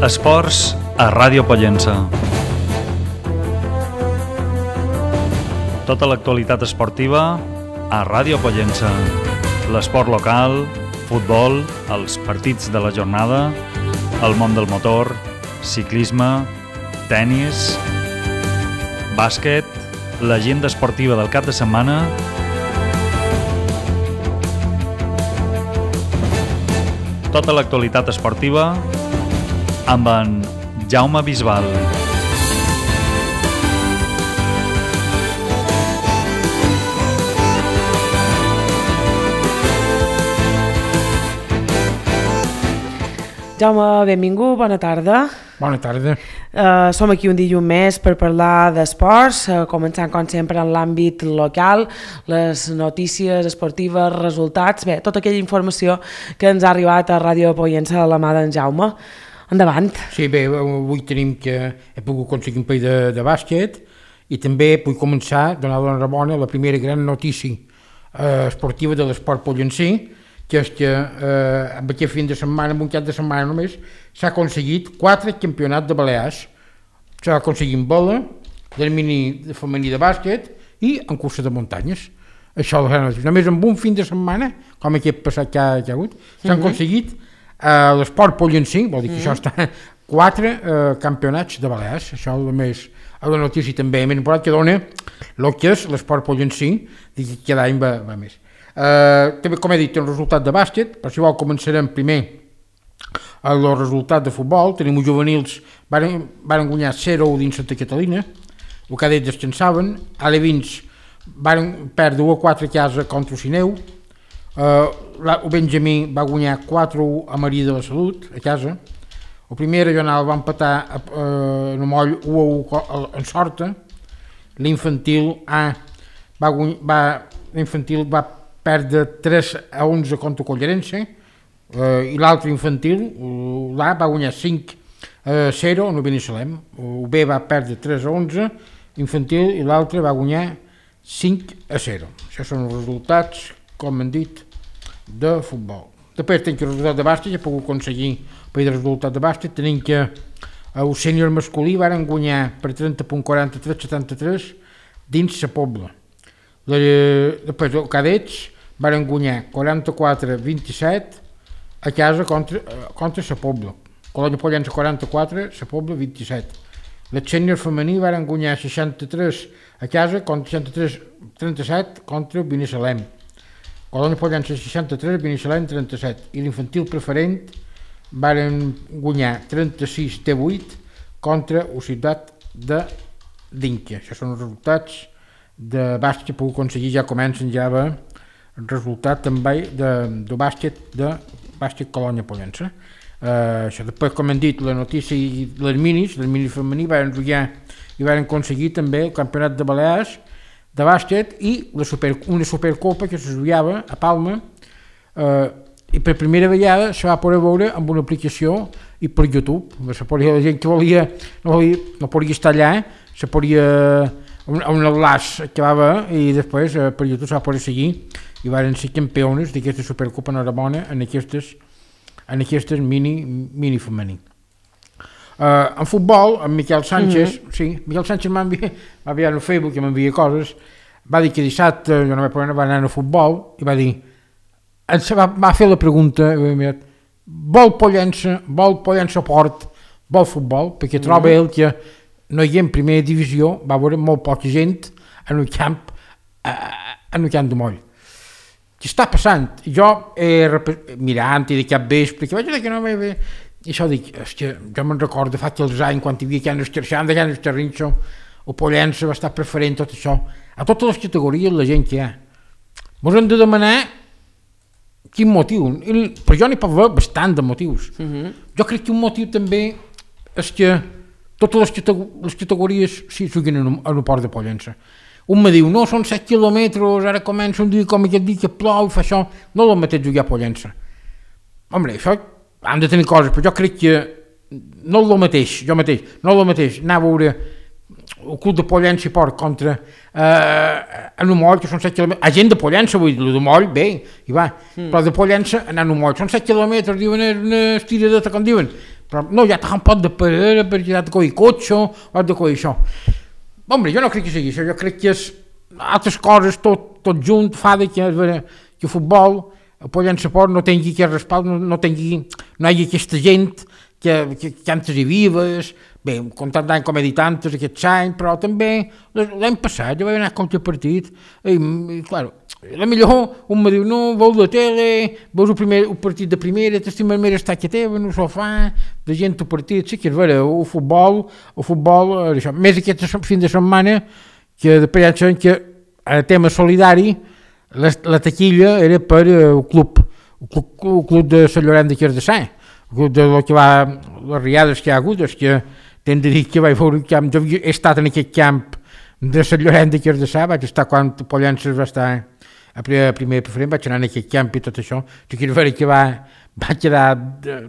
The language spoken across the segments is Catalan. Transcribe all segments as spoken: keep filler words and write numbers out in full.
Esports a Ràdio Pollença. Tota l'actualitat esportiva a Ràdio Pollença. L'esport local, futbol, els partits de la jornada, el món del motor, ciclisme, tennis, bàsquet, l'agenda esportiva del cap de setmana, tota l'actualitat esportiva amb en Jaume Bisbal. Jaume, benvingut, bona tarda. Bona tarda. Uh, som aquí un dilluns més per parlar d'esports, uh, començant com sempre en l'àmbit local, les notícies esportives, resultats, bé, tota aquella informació que ens ha arribat a Ràdio Pollença a la mà d'en Jaume. Endavant. Sí, bé, avui tenim que he pogut aconseguir un parell de, de bàsquet i també vull començar a donar l'enhorabona a la primera gran notícia eh, esportiva de l'esport pollencí, que és que eh, amb aquest fin de setmana, amb un cap de setmana només, s'ha aconseguit quatre campionats de Balears. S'ha aconseguit en bola, del mini femení de bàsquet i en cursa de muntanyes. Això és la gran notícia. Només amb un fin de setmana, com aquest passat que ha, que ha hagut, s'han uh-huh. aconseguit a l'esport pollencí, vol dir que mm. això està quatre eh, campionats de Balears, això és més a la notícia també, més important que dona el que és l'esport pollencí, que cada any va, va més. Eh, també, com he dit, té un resultat de bàsquet, per si vol començarem primer el resultat de futbol. Tenim els juvenils, van, van guanyar zero dins Santa Catalina, els cadets descansaven, a l'Evins van perdre u a quatre a casa contra el Sineu. Uh, el Benjamí va guanyar quatre a u a Maria de la Salut a casa. El primer regional va empatar a, uh, en Moll u a u en Sorta. L'infantil A va, va, l'infantil va perdre tres a onze contra Collerense, uh, i l'altre infantil, l'A, va guanyar cinc a zero en el Binissalem. El B va perdre tres a onze infantil i l'altre va guanyar cinc a zero. Això són els resultats, com hem dit, de futbol. Després tenim que el resultat de bàsquet, ja he pogut aconseguir per el resultat de bàsquet, tenim que el sènior masculí van guanyar per trenta coma quaranta-tres a setanta-tres dins la Pobla. Després els cadets van guanyar quaranta-quatre a vint-i-set a casa contra, contra la Pobla. Colònia Pollença quaranta-quatre, la Pobla vint-i-set. El sènior femení van guanyar seixanta-tres a casa contra seixanta-tres a trenta-set contra Binissalem. Colònia Pollença seixanta-tres, Binissalem trenta-set. I l'infantil preferent van guanyar trenta-sis a vuit contra la ciutat de Dinca. Això són els resultats de bàsquet que puc aconseguir. Ja comencen ja a el resultat també de, de bàsquet de bàsquet Colònia Pollença. Uh, això després, com hem dit, la notícia i les minis, les minis femení van jugar i van aconseguir també el campionat de Balears de bàsquet i la super, una supercopa que se juliava a Palma, eh, i per primera vegada se va poder veure amb una aplicació i per YouTube. Se podia, la gent que volia no, volia, no podia estar allà, se podia un, un enlaç que va haver i després eh, per YouTube se va poder seguir i van ser campiones d'aquesta supercopa enhorabona en aquestes, en aquestes mini, mini femení. Uh, en futbol, en Miquel Sánchez, mm-hmm. sí, Miquel Sánchez m'enviar al Facebook i m'envia coses, va dir que dissabte jo no vaig poder anar, va anar a futbol i va dir, va, va fer la pregunta, vol Pollença, vol Pollença Port, vol futbol, perquè mm-hmm. troba ell que no hi ha en primera divisió, va veure molt poca gent en un camp, uh, en un camp de moll. Què està passant? Jo, eh, mirant i de cap vespre, que vaig dir que no m'he ve i això dic, hòstia, jo me'n recordo fa aquells anys quan hi havia que el Xerxant, que el Xerrinxo, el Pollença va estar preferent tot això. A totes les categories la gent que hi ha. Ens hem de demanar quin motiu. I, però jo n'hi pot haver bastant de motius. Uh-huh. Jo crec que un motiu també és que totes les, les categories sí, juguen en el port de Pollença. Un me diu, no, són set quilòmetres, ara comença un dia com aquest dia que plou, fa això. No és el mateix jugar a Pollença. Home, això han de tenir coses, però jo crec que no és el mateix, jo mateix, no és el mateix, anar a veure el club de Pollença i Port contra eh, en un moll, que són set quilòmetres, a gent de Pollença, vull dir, el de moll, bé, hi va, mm. però de Pollença anar a un moll, són set quilòmetres, diuen una estiradeta, com diuen, però no, ja t'ha un pot de parera perquè has de coir cotxe o has de coir això. Home, jo no crec que sigui això, jo crec que és altres coses tot, tot junt fa de que, que el futbol, el Pollença Sport no tingui aquest respalt, no, no tingui, no hi hagi aquesta gent que, que, que antes hi vives, bé, comptant d'any com he dit antes, aquest any, però també l'any passat jo vaig anar a compte el partit i, i clar, a millor un me diu, no, veus la tele, veus el, primer, el partit de primera, t'estimes més estar que teva, no s'ho fa, de gent el partit, sí que és vera, el futbol, el futbol, això, més aquest fin de setmana, que després ja sabem que el tema solidari, la, la taquilla era per el club, el club, el club de Sant Llorenç de Cardassar, el club de lo que va, les riades que hi ha hagut, és que t'hem de dir que vaig veure un camp, jo he estat en aquest camp de Sant Llorenç de Cardassar, vaig estar quan Pollença va estar a primer, primer preferent, vaig anar en aquest camp i tot això, jo quiero veure que va, va quedar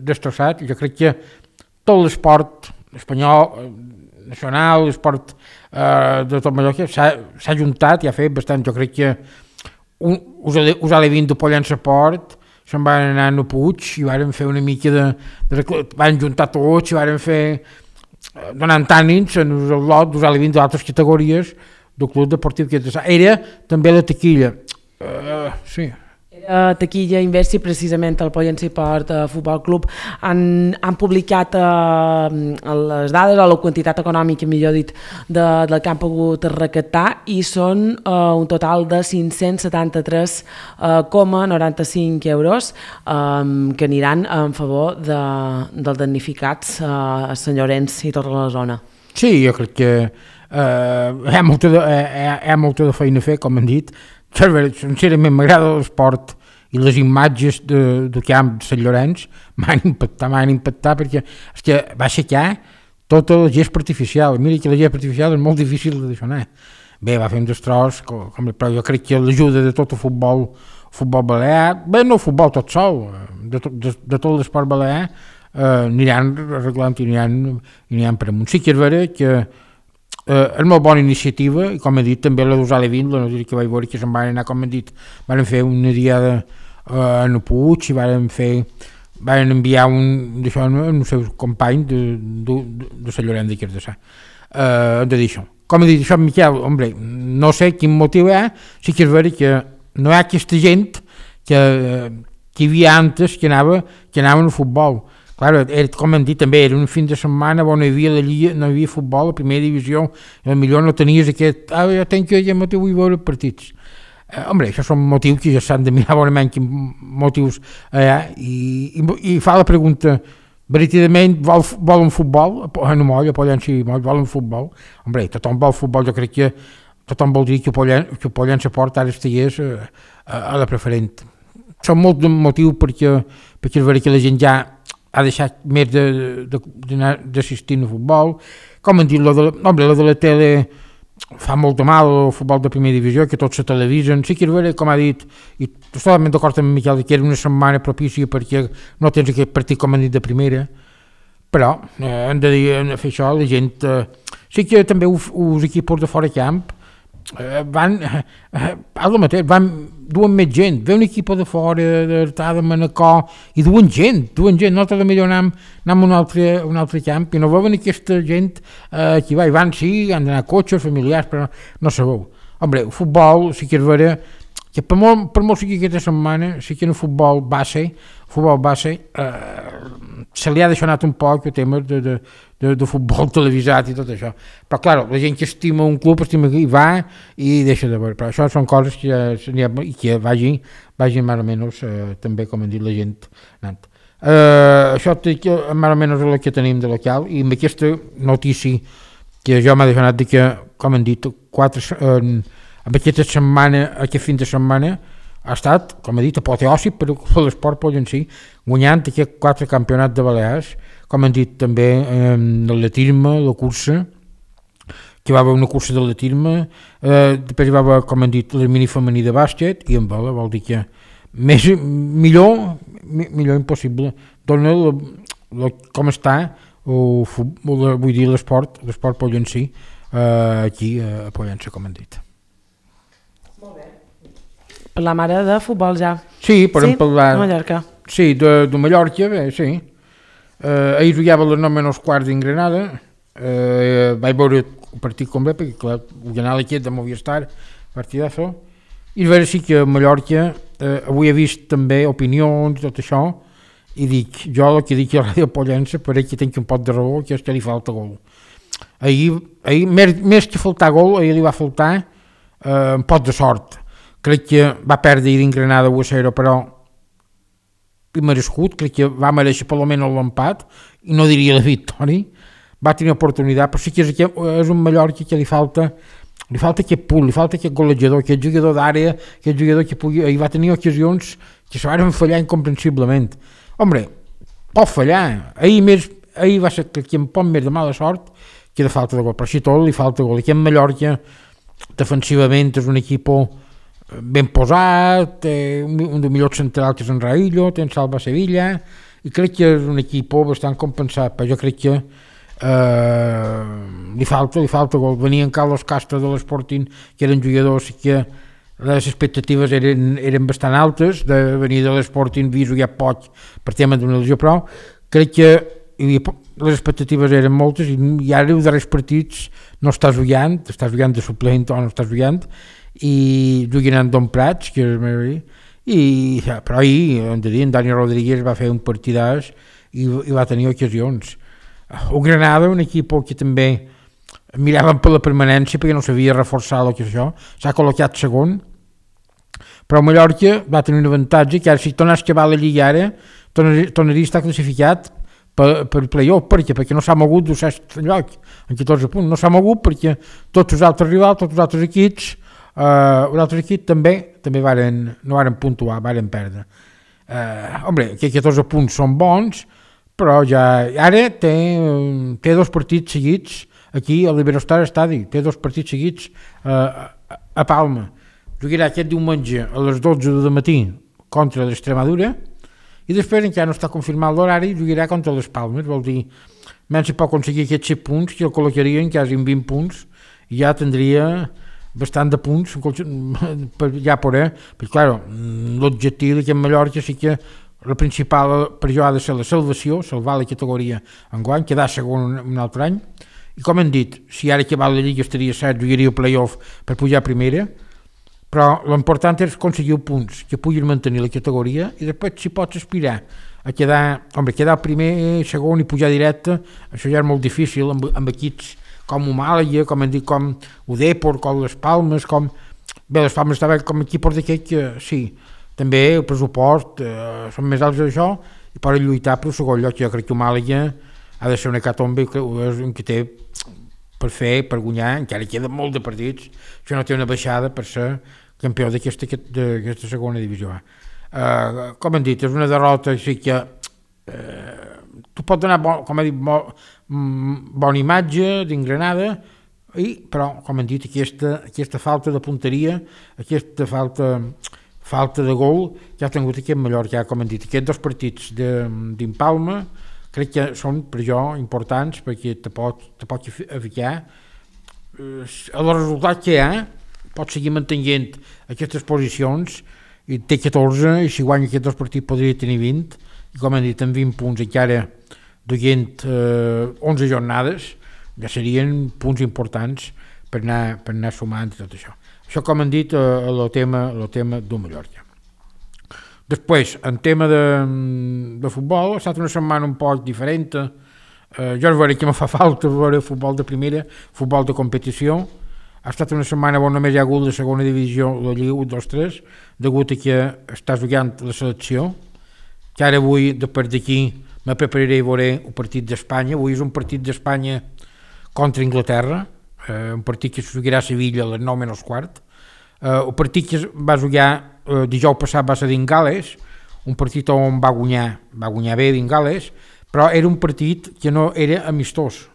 destrossat, jo crec que tot l'esport espanyol, nacional, l'esport eh, de tot Mallorca s'ha juntat i ha fet bastant, jo crec que un, us, us ha levint de Pollença Sport, se'n van anar a Puig i varen fer una mica de, de van juntar tots i varen fer donant tànins en el lot us ha levint d'altres categories del Club Deportiu Cardassar. Era també la taquilla. Uh, sí. Era taquilla inversa i precisament el Pollença Sport uh, Futbol Club han, han publicat uh, les dades o la quantitat econòmica, millor dit, de, del que han pogut recaptar i són uh, un total de cinc-cents setanta-tres coma noranta-cinc euros um, que aniran en favor de, dels damnificats uh, a Sant Llorenç i tota la zona. Sí, jo crec que uh, hi, ha molta de, hi, ha, hi ha molta de feina a fer, com han dit. Sincerament m'agrada l'esport i les imatges de, del camp de Sant Llorenç m'han impactat, m'han impactat perquè és que va aixecar tota la gespa artificial. Mira que la gespa artificial és molt difícil de deixar anar. Bé, va fer un destroç, com, com, però jo crec que l'ajuda de tot el futbol, futbol balear, bé, no el futbol tot sol, de, to, de, de tot l'esport balear, eh, aniran arreglant i aniran, aniran per amunt. Sí que és vera que Uh, és molt bona iniciativa i com he dit també la d'Usar Levin, la notícia que vaig veure que se'n van anar, com he dit, van fer una diada uh, a Puig i van fer van enviar un d'això als seus companys de, de, de, de Sant Llorenç de Cardassar uh, de dir això. Com he dit això, Miquel, hombre, no sé quin motiu hi ha, sí que és vera que no hi ha aquesta gent que, que hi havia antes que anava, que anava al futbol. Claro, era, com hem dit també, era un fin de setmana on no hi havia, la lliga, no hi havia futbol, la primera divisió, i potser no tenies aquest, ah, jo tenc que ja motiu vull veure partits. Eh, home, això són motius que ja s'han de mirar bonament quins motius eh, i, i, i fa la pregunta, veritablement vol, vol un futbol? No moll, a Pollença vol un futbol? Home, tothom vol futbol, jo crec que tothom vol dir que el Pollença Sport ara estigués a, a, a la preferent. Són molts motius perquè, perquè és vera que la gent ja ha deixat més d'assistir al futbol. Com han dit, lo de, home, lo de la tele fa molt de mal, el futbol de primera divisió, que tots se televisen. Sí que és vera, com ha dit, i totalment d'acord amb Miquel, que era una setmana propícia perquè no tens aquest partit, com han dit, de primera, però eh, hem de dir, hem de fer això, la gent... Eh, sí que també els equips de fora camp eh, van, eh, al mateix, van duen més gent, ve un equip de fora, d'Artà, de Manacor, i duen gent, duen gent, nosaltres millor anem, anem a un altre, un altre camp, i no veuen aquesta gent eh, que va, i van, sí, han d'anar cotxes, familiars, però no sabeu. Home, el futbol, sí que és vera, que per molt, per molt sigui aquesta setmana, sí que en el futbol base, futbol base, eh, se li ha deixat un poc el tema de, de, de, de futbol televisat i tot això. Però, clar, la gent que estima un club, estima que hi va i deixa de veure. Però això són coses que, ja, que vagi, vagi més o menys, eh, també, com han dit la gent, anant. Eh, això més o menys és el que tenim de local, i amb aquesta notícia que jo m'ha deixat de que, com han dit, quatre... Eh, amb aquesta setmana, aquest fin de setmana, ha estat, com he dit, apoteòsic per l'esport pollencí, guanyant aquests quatre campionats de Balears, com han dit també eh, l'atletisme, la cursa, que va haver una cursa de l'atletisme, eh, després va haver, com han dit, el mini femení de bàsquet, i en vela vol dir que més, millor, millor impossible. Dona la, la, com està, o, o, vull dir, l'esport, l'esport pollencí, eh, aquí a Pollença, com han dit. Parlar ara de futbol ja. Sí, podem sí? parlar... de Mallorca. Sí, de, de Mallorca, bé, sí. Eh, ahir jugava a les nou menys quarts d'Ingranada, eh, vaig veure el partit complet, perquè clar, el general aquest de Movistar, partidazo, i a veure si que a Mallorca, eh, avui he vist també opinions, tot això, i dic, jo el que dic a Ràdio Pollença, per ell que tinc un pot de raó, que és que li falta gol. Ahir, ahir més, més que faltar gol, ahir li va faltar eh, un pot de sort. Crec que va perdre ahir d'Ingranada u a zero, però merescut, crec que va mereixer per almenys l'empat, i no diria la victòria, va tenir oportunitat, però sí que és, és un Mallorca que li falta, li falta aquest punt, li falta aquest golejador, aquest jugador d'àrea, aquest jugador que pugui, i va tenir ocasions que se van fallar incomprensiblement. Hombre, pot fallar, ahir, més, ahir va ser que un poc més de mala sort que de falta de gol, però si tot li falta gol, i aquest Mallorca defensivament és un equip ben posat, té un dels millors centrals que és en Raillo, té en Salva Sevilla, i crec que és un equip bastant compensat, però jo crec que eh, li falta, li falta gol. Venia en Carlos Castro de l'Sporting, que eren jugadors que les expectatives eren, eren bastant altes, de venir de l'Sporting vist ja poc per tema d'una lesió, però crec que i les expectatives eren moltes i, i ara els darrers partits no estàs jugant, estàs jugant de suplent o no estàs jugant, i juguen en Don Prats, que és, i, però ahir, hem de dir, en Dani Rodríguez va fer un partidàs i, i va tenir ocasions. O Granada, un equip que també miraven per la permanència perquè no s'havia reforçat el que és això, s'ha col·locat segon, però Mallorca va tenir un avantatge que ara si tornes a acabar la Lliga ara tornaria a estar classificat per, per play-off, perquè, perquè no s'ha mogut del sexte lloc en catorze punts, no s'ha mogut perquè tots els altres rivals, tots els altres equips Uh, un altre equip també, també varen, no varen puntuar, varen perdre. Uh, home, que catorze punts són bons, però ja ara té, té dos partits seguits aquí al Iberostar Estadi, té dos partits seguits uh, a Palma. Jugarà aquest diumenge a les dotze del matí contra l'Extremadura i després encara no està confirmat l'horari, jugarà contra les Palmes, vol dir, menys si pot aconseguir aquests set punts, que el col·locarien quasi en vint punts i ja tindria bastant de punts per ja poder, perquè clar, l'objectiu d'aquest Mallorca sí que la principal per jo ha de ser la salvació, salvar la categoria enguany, quedar segon un altre any, i com hem dit, si ara que va la Lliga estaria cert, jugaria el play-off per pujar a primera, però l'important és aconseguir punts que puguin mantenir la categoria i després si pots aspirar a quedar, home, quedar primer, segon i pujar directe, això ja és molt difícil amb, amb equips com Humàlaga, com hem dit, com Udépor, com les Palmes, com... Bé, les Palmes estaven com equipos d'aquest que, sí, també el pressupost eh, són més alts d'això i poden lluitar per el segon lloc. Jo crec que Humàlaga ha de ser una hecatombe, és un que té per fer, per guanyar, encara queda molt de partits, això no té una baixada per ser campió d'aquesta, d'aquesta segona divisió. Eh, com hem dit, és una derrota, sí que... Eh, tu pots donar, bo, com he dit, bo, bona imatge d'Ingranada, i, però, com hem dit, aquesta, aquesta falta de punteria, aquesta falta, falta de gol que ha tingut aquest Mallorca, com hem dit, aquests dos partits d'Impalma, crec que són per jo importants perquè te pot, te pot ficar el resultat que hi ha, pot seguir mantenint aquestes posicions i té catorze i si guanya aquests dos partits podria tenir vint i com hem dit amb vint punts encara duent eh, onze jornades ja serien punts importants per anar, per anar sumant tot això. Això com hem dit el eh, tema, el tema del Mallorca. Després, en tema de, de futbol, ha estat una setmana un poc diferent. Eh, jo veuré que me fa falta veure futbol de primera, futbol de competició. Ha estat una setmana on només hi ha hagut la segona divisió, la Lliga u dos tres, degut a que està jugant la selecció, que ara avui, després d'aquí, me prepararé a veure un partit d'Espanya. Avui és un partit d'Espanya contra Inglaterra, eh, un partit que es jugarà a Sevilla a les nou menys quart. Eh, el partit que va jugar eh, dijous passat va ser d'Ingales, un partit on va guanyar, va guanyar bé d'Ingales, però era un partit que no era amistós.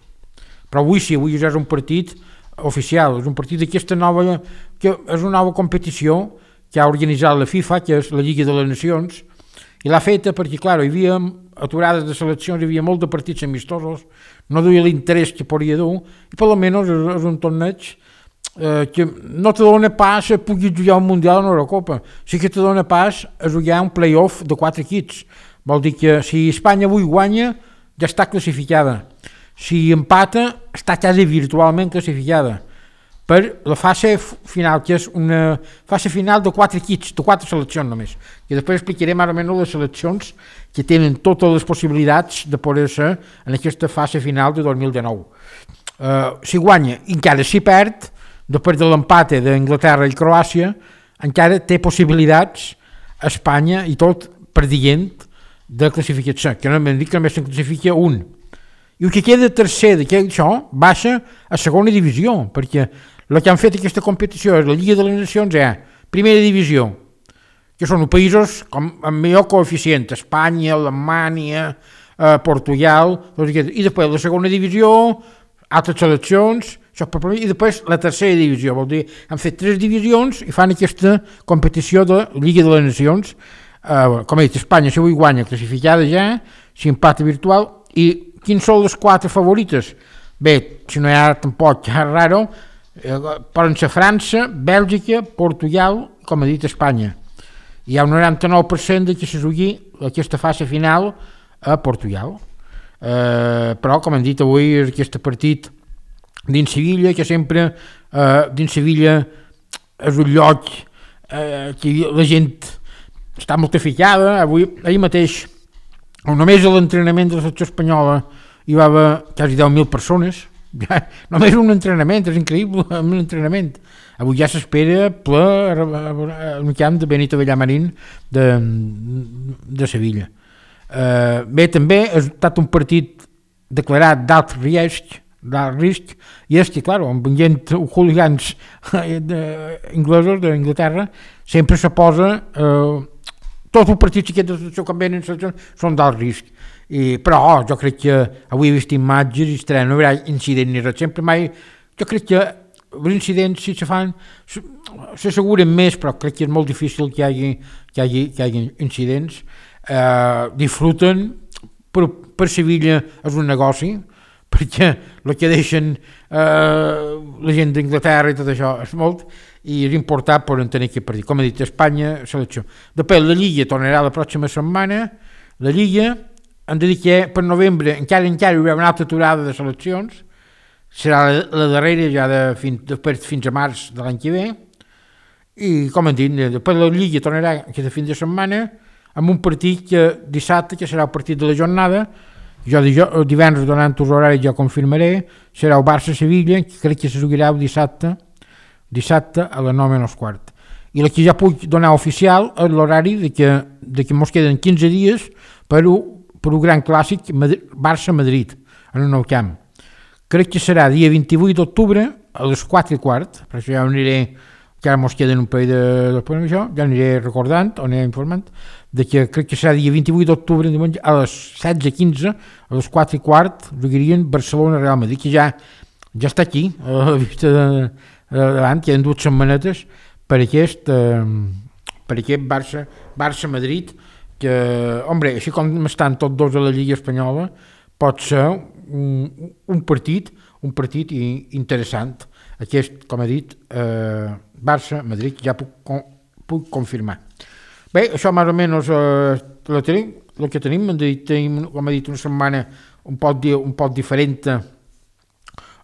Però avui sí, avui és un partit oficial, és un partit d'aquesta nova, que és una nova competició que ha organitzat la FIFA, que és la Lliga de les Nacions, i l'ha feta perquè, clar, hi havia aturades de seleccions, hi havia molts de partits amistosos, no duia l'interès que podria dur, i per almenys és, és un torneig eh, que no te dona pas a pugui jugar un Mundial o una Eurocopa, sí que te dona pas a jugar un play-off de quatre equips. Vol dir que si Espanya avui guanya, ja està classificada. Si empata, està quasi virtualment classificada per la fase final, que és una fase final de quatre equips, de quatre seleccions només. I després explicarem ara menys les seleccions que tenen totes les possibilitats de poder-se en aquesta fase final de dos mil dinou. Uh, si guanya, encara si perd, després de l'empate d'Anglaterra i Croàcia, encara té possibilitats Espanya i tot per dient de classificar-se, que no m'han dit que només se'n classifica un. I el que queda tercer d'aquaixò baixa a segona divisió, perquè el que han fet aquesta competició és la Lliga de les Nacions, és primera divisió, que són els països com, amb millor coeficient, Espanya, Alemanya, eh, Portugal, i després la segona divisió, altres seleccions, i després la tercera divisió, vol dir, han fet tres divisions i fan aquesta competició de Lliga de les Nacions, eh, com he dit, Espanya, si avui guanya, classificada ja, si empata virtual, i quins són les quatre favorites? Bé, si no hi ha tampoc raro, eh, poden ser França, Bèlgica, Portugal, com he dit, Espanya. Hi ha un noranta-nou per cent de que se jugui aquesta fase final a Portugal. Eh, però, com hem dit avui, aquest partit dins Sevilla, que sempre eh, dins Sevilla és un lloc eh, que la gent està molt ficada. Avui, ahir mateix, només a l'entrenament de la selecció espanyola hi va haver quasi deu mil persones. Ja, només un entrenament, és increïble, un entrenament. Avui ja s'espera ple al camp de Benito Villamarín de, de Sevilla. Eh, bé, també ha estat un partit declarat d'alt risc, d'alt risc, i és que, clar, amb gent hooligans inglesos d'Anglaterra, sempre se posa eh, tots els partits que quan venen són d'alt risc. I, però oh, jo crec que avui he vist imatges i estarà, no hi haurà incident ni res, sempre mai, jo crec que els incidents si se fan s'asseguren més, però crec que és molt difícil que hi hagi, que hi hagi, que hi hagi incidents. Eh, disfruten, per, per Sevilla és un negoci, perquè el que deixen eh, la gent d'Anglaterra i tot això és molt, i és important per tenir aquest partit. Com he dit, Espanya, selecció. Després la Lliga tornarà la pròxima setmana, la Lliga, hem de dir que per novembre encara encara hi haurà una altra aturada de seleccions, serà la, la darrera ja de fins, de, fins a març de l'any que ve, i com hem dit, després la Lliga tornarà aquesta fin de setmana amb un partit que dissabte, que serà el partit de la jornada, jo divendres donant els horaris ja confirmaré, serà el Barça-Sevilla, que crec que se jugarà el dissabte, dissabte a les nou menys quart. I el que ja puc donar oficial és l'horari de que, de que ens queden quinze dies per un per un gran clàssic Barça-Madrid en un nou camp. Crec que serà dia vint-i-vuit d'octubre a les quatre i quart, per això ja aniré, que ara mos queden un parell de, de això, ja aniré recordant o aniré informant, de que crec que serà dia vint-i-vuit d'octubre a les setze quinze, a les quatre i quart, jugarien Barcelona-Real Madrid, que ja, ja està aquí, a la vista de, de davant, queden dues setmanetes per aquest, eh, per aquest Barça, Barça-Madrid, que, hombre, així com estan tots dos a la Lliga Espanyola, pot ser un, un partit, un partit interessant. Aquest, com he dit, eh, Barça-Madrid, ja puc, puc confirmar. Bé, això més o menys eh, el, tenim, el que tenim, tenim, com he dit, una setmana un poc, un poc diferent eh,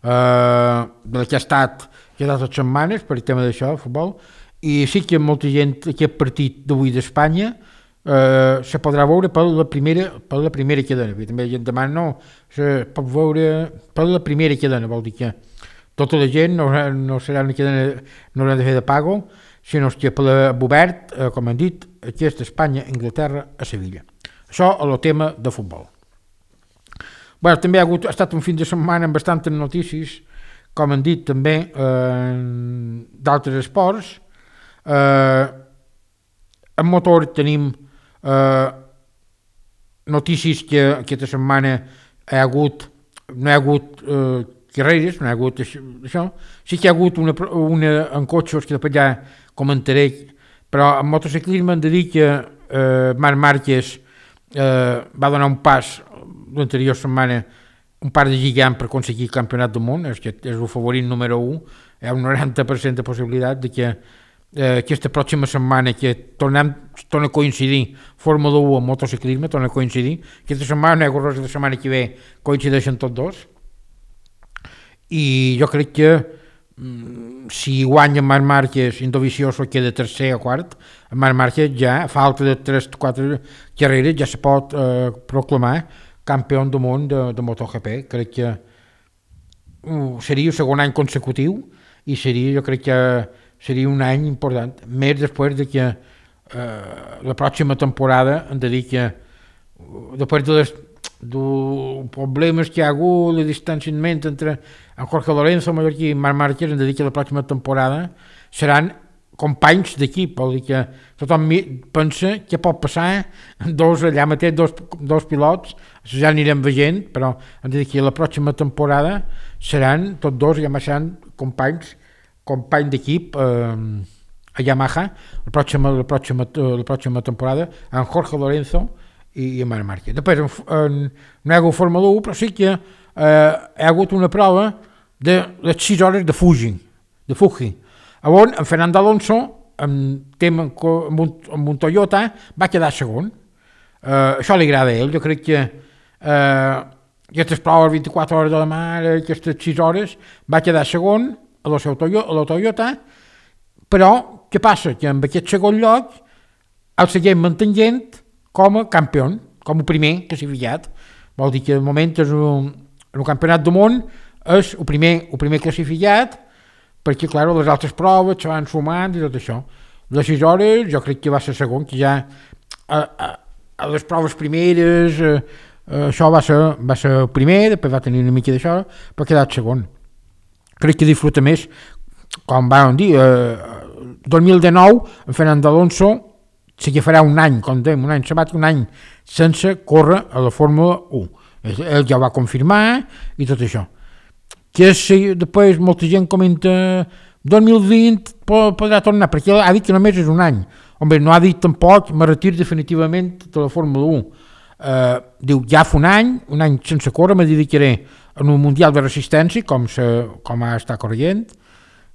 de la que ha estat aquestes setmanes per el tema d'això, el futbol, i sí que molta gent, aquest partit d'avui d'Espanya, Uh, se podrà veure per la primera, per la primera cadena. També la gent demana, no, se pot veure per la primera cadena, vol dir que tota la gent no, no serà una cadena, no haurà de fer de pago, sinó que per l'obert, uh, com han dit, aquí és Espanya, Anglaterra, a Sevilla. Això és el tema de futbol. Bueno, també ha, hagut, ha estat un fin de setmana amb bastantes notícies, com han dit també, uh, d'altres esports. Uh, en motor tenim Uh, notícies que aquesta setmana ha hagut, no hi ha hagut uh, carreres, no hi ha hagut això, això. Sí que hi ha hagut una, una en cotxes que després ja comentaré, però en motociclisme hem de dir que uh, Marc Márquez uh, va donar un pas l'anterior setmana, un pas de gigant per aconseguir el campionat del món, és, que és el favorit número un, hi ha un noranta per cent de possibilitat de que eh, aquesta pròxima setmana que tornem, torna a coincidir Fórmula u amb motociclisme, torna a coincidir. Aquesta setmana, no hi ha la setmana que ve, coincideixen tots dos. I jo crec que mm, si guanya Marc Márquez i Dovizioso queda tercer o quart, Marc Márquez ja, a falta de tres o quatre carreres, ja se pot eh, proclamar campió del món de, de MotoGP. Crec que uh, seria el segon any consecutiu i seria, jo crec que seria un any important, més després de que eh, la pròxima temporada hem de dir que després de les dels problemes que hi ha hagut, el distanciament entre en Jorge Lorenzo, Mallorquí i Marc Márquez, hem de dir que la pròxima temporada seran companys d'equip, vol dir que tothom pensa què pot passar dos allà mateix, dos, dos pilots, ja anirem veient, però hem de dir que la pròxima temporada seran tots dos, ja seran companys company d'equip eh, a Yamaha la pròxima, la, pròxima, la pròxima temporada en Jorge Lorenzo i, i Marc Márquez. Després en, en, no hi ha hagut Fórmula u, però sí que eh, hi ha hagut una prova de les sis hores de Fuji, de Fuji, on en Fernando Alonso amb, tema, amb, un, amb un Toyota va quedar segon. Eh, això li agrada a ell, jo crec que eh, aquestes proves vint-i-quatre hores de la mar, aquestes sis hores, va quedar segon a la, seu Toyota, a la Toyota, però què passa? Que amb aquest segon lloc el seguim mantenint com a campió, com a primer classificat. Vol dir que de moment és un, un campionat del món és el primer, el primer classificat, perquè clar, les altres proves se van sumant i tot això. Les sis hores jo crec que va ser segon, que ja a, a, a les proves primeres a, a, això va ser, va ser el primer, després va tenir una mica d'això, però ha quedat segon. Crec que disfruta més, com vam dir, eh, dos mil dinou, en Fernando Alonso sí que farà un any, com dèiem, un any sabàtic, un any sense córrer a la Fórmula u. Ell ja ho va confirmar i tot això. Que si després molta gent comenta dos mil vint podrà tornar, perquè ell ha dit que només és un any. Home, no ha dit tampoc me retir definitivament de la Fórmula u. Uh, diu, ja fa un any, un any sense córrer, me dedicaré en un Mundial de Resistència, com, se, com ha estat corrent,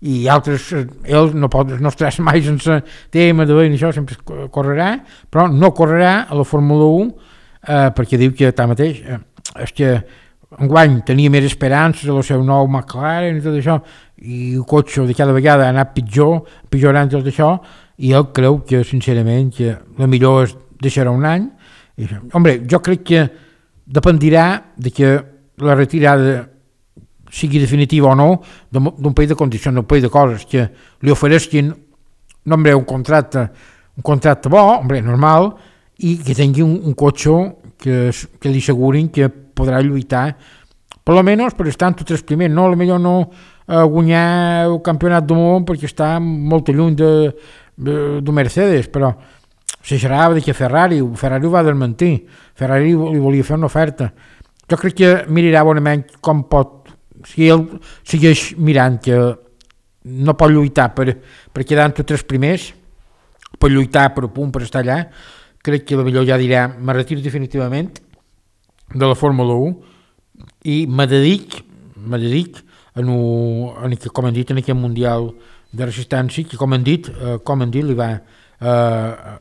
i altres, ell no pot no estarà mai sense tema de veure això, sempre correrà, però no correrà a la Fórmula u, eh, perquè diu que tanmateix eh, és que enguany tenia més esperances a el seu nou McLaren i tot això, i el cotxe de cada vegada ha anat pitjor, pitjorant tot això, i ell creu que sincerament que la millor és deixar un any. I, hombre, jo crec que dependirà de que la retirada sigui definitiva o no d'un país de condicions, d'un país de coses que li ofereixin no, hombre, un contracte un contracte bo, hombre, normal, i que tingui un, un cotxe que, que li assegurin que podrà lluitar per lo menos per estar entre els primers, no, potser no eh, guanyar el campionat del món perquè està molt lluny de, de, de Mercedes, però se xerrava de que Ferrari, Ferrari ho va desmentir, Ferrari li volia fer una oferta. Jo crec que mirarà bonament com pot, si ell segueix mirant que no pot lluitar per, per quedar entre tres primers, per lluitar per un punt, per estar allà, crec que potser ja dirà, me retiro definitivament de la Fórmula u i me dedic, me dedic en, un, en que, com hem dit, en aquest Mundial de Resistència, que com hem dit, eh, com hem dit, li va, eh,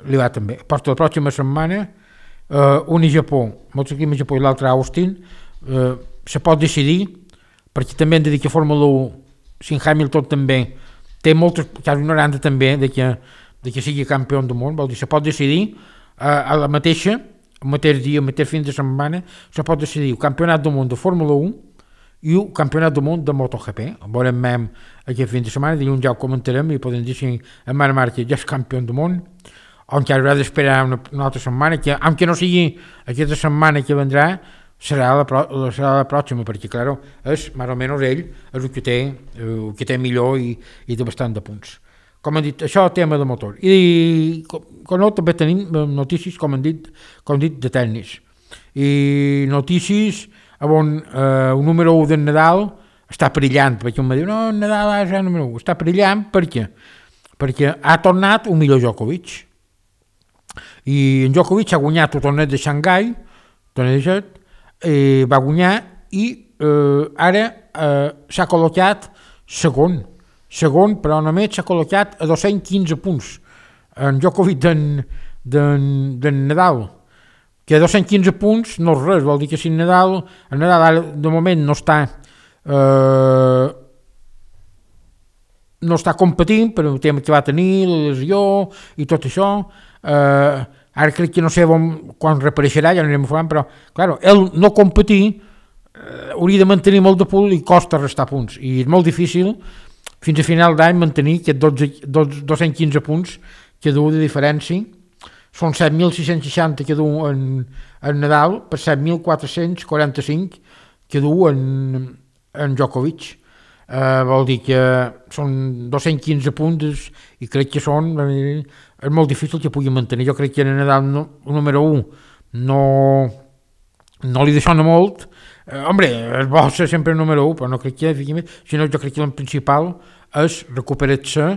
li va també. Porta la pròxima setmana, eh, un a Japó, molts aquí a Japó i l'altre a Austin, eh, se pot decidir, perquè també hem de dir que Fórmula u, si en Hamilton també, té moltes, quasi noranta també, de que, de que sigui campió del món, vol dir, se pot decidir eh, a la mateixa, el mateix dia, el mateix fin de setmana, se pot decidir el campionat del món de Fórmula u i el campionat del món de MotoGP. Veurem même aquest fin de setmana, dilluns ja ho comentarem i podem dir si en Marc Márquez ja és campió del món, o encara haurà d'esperar una, una altra setmana, que aunque no sigui aquesta setmana que vendrà, serà la, pro, serà la pròxima, perquè, clar, és, més o menys, ell és el que té, el que té millor i, i té bastant de punts. Com hem dit, això és el tema de motor. I com, com no, també tenim notícies, com hem dit, com hem dit de tennis. I notícies on eh, el número u del Nadal està perillant, perquè un me diu, no, Nadal és el número u, està perillant, per què? Perquè ha tornat un millor Djokovic. I en Djokovic ha guanyat el torneig de Xangai, torneig de set, eh, va guanyar i eh, ara eh, s'ha col·locat segon, segon, però només s'ha col·locat a dos-cents quinze punts. En Djokovic d'en, d'en, d'en Nadal, que dos-cents quinze punts no és res, vol dir que si Nadal, el Nadal ara, de moment no està eh, no està competint per el tema que va tenir, la lesió i tot això. Eh, ara crec que no sé on, quan reapareixerà, ja anirem informant, però clar, ell no competir eh, hauria de mantenir molt de punt i costa restar punts, i és molt difícil fins a final d'any mantenir aquests dos-cents quinze punts que du de diferència. Són set mil sis-cents seixanta que du en, en Nadal per set mil quatre-cents quaranta-cinc que du en, en Djokovic. Uh, vol dir que són dos-cents quinze punts i crec que són eh, és molt difícil que pugui mantenir. Jo crec que en Nadal no, el número un no, no li deixona molt. Uh, hombre, és bo ser sempre el número un, però no crec que, sinó jo crec que el principal és recuperar-se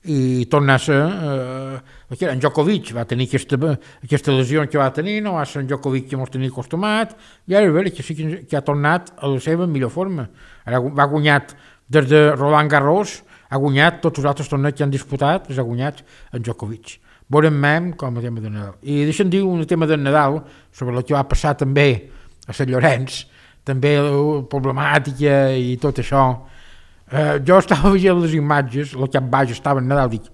i tornar a ser eh, en Djokovic va tenir aquesta, aquesta lesió que va tenir, no va ser en Djokovic que ens tenia acostumat, i ara veure que sí que, que ha tornat a la seva millor forma. Ara va guanyat des de Roland Garros, ha guanyat tots els altres torneigs que han disputat, els ha guanyat en Djokovic. Veurem mem com a tema de Nadal. I deixa'm dir un tema de Nadal sobre el que va passar també a Sant Llorenç, també la problemàtica i tot això. Uh, jo estava veient les imatges, el cap baix estava en Nadal, dic,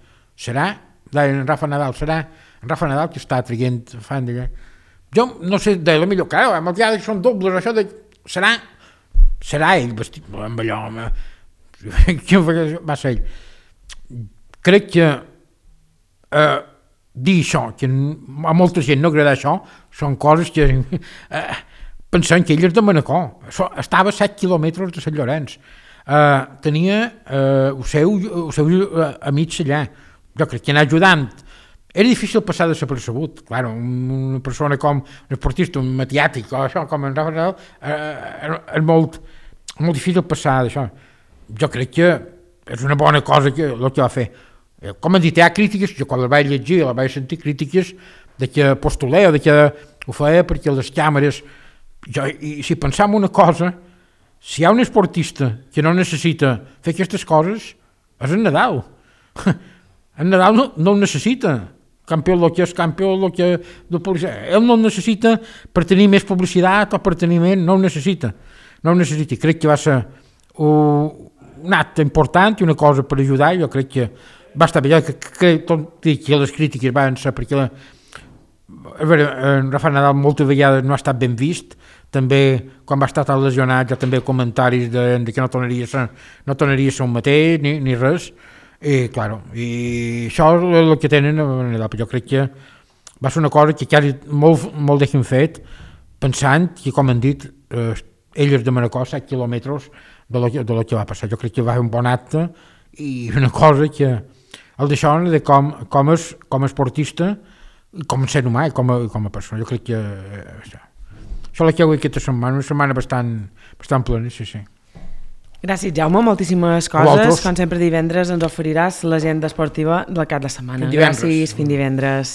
serà? Deien en Rafa Nadal, serà? En Rafa Nadal que està traient fan d'allà. Jo no sé, de la millor, clar, amb el dia que són dobles, això de, serà? Serà ell vestit amb allò, home. Què va ser ell? Crec que uh, dir això, que a molta gent no agrada això, són coses que uh, pensant que ell és de Manacor, estava a set quilòmetres de Sant Llorenç. Uh, tenia uh, el seu, el seu uh, amics allà, jo crec que anar ajudant. Era difícil passar desapercebut, clar, una persona com un esportista, un mediàtic o això, com en Rafa Nadal, uh, és molt, molt difícil passar d'això. Jo crec que és una bona cosa que, el que va fer. Com han dit, hi ha crítiques, jo quan la vaig llegir, la vaig sentir crítiques de que postuleu, de que ho feia perquè les càmeres, jo, i si pensam una cosa, si hi ha un esportista que no necessita fer aquestes coses, és en Nadal. En Nadal no, no ho necessita. Campió el que és campió el que de publicitat. Ell no ho necessita per tenir més publicitat o per tenir més, no ho necessita. No ho necessita. Crec que va ser un acte important i una cosa per ajudar. Jo crec que va estar bé. Jo crec que les crítiques van ser perquè la, a veure, en Rafa Nadal moltes vegades no ha estat ben vist. També, quan va estar tan lesionat, ja també comentaris de, de que no tornaria a ser, no tornaria a ser un mateix, ni, ni res. I, claro, i això és el que tenen a Nadal. Jo crec que va ser una cosa que quasi molt, molt deixen fet, pensant que, com han dit, eh, ell és de Manacor, set quilòmetres de lo, de lo que va passar. Jo crec que va fer un bon acte i una cosa que el d'això de com, com, és, com a esportista, com a ser humà i com a, com a persona. Jo crec que eh, això. Això la que avui aquesta setmana, una setmana bastant, bastant plena, sí, sí. Gràcies, Jaume, moltíssimes coses. Com sempre divendres ens oferiràs l'agenda esportiva del cap de setmana. Gràcies, fins divendres.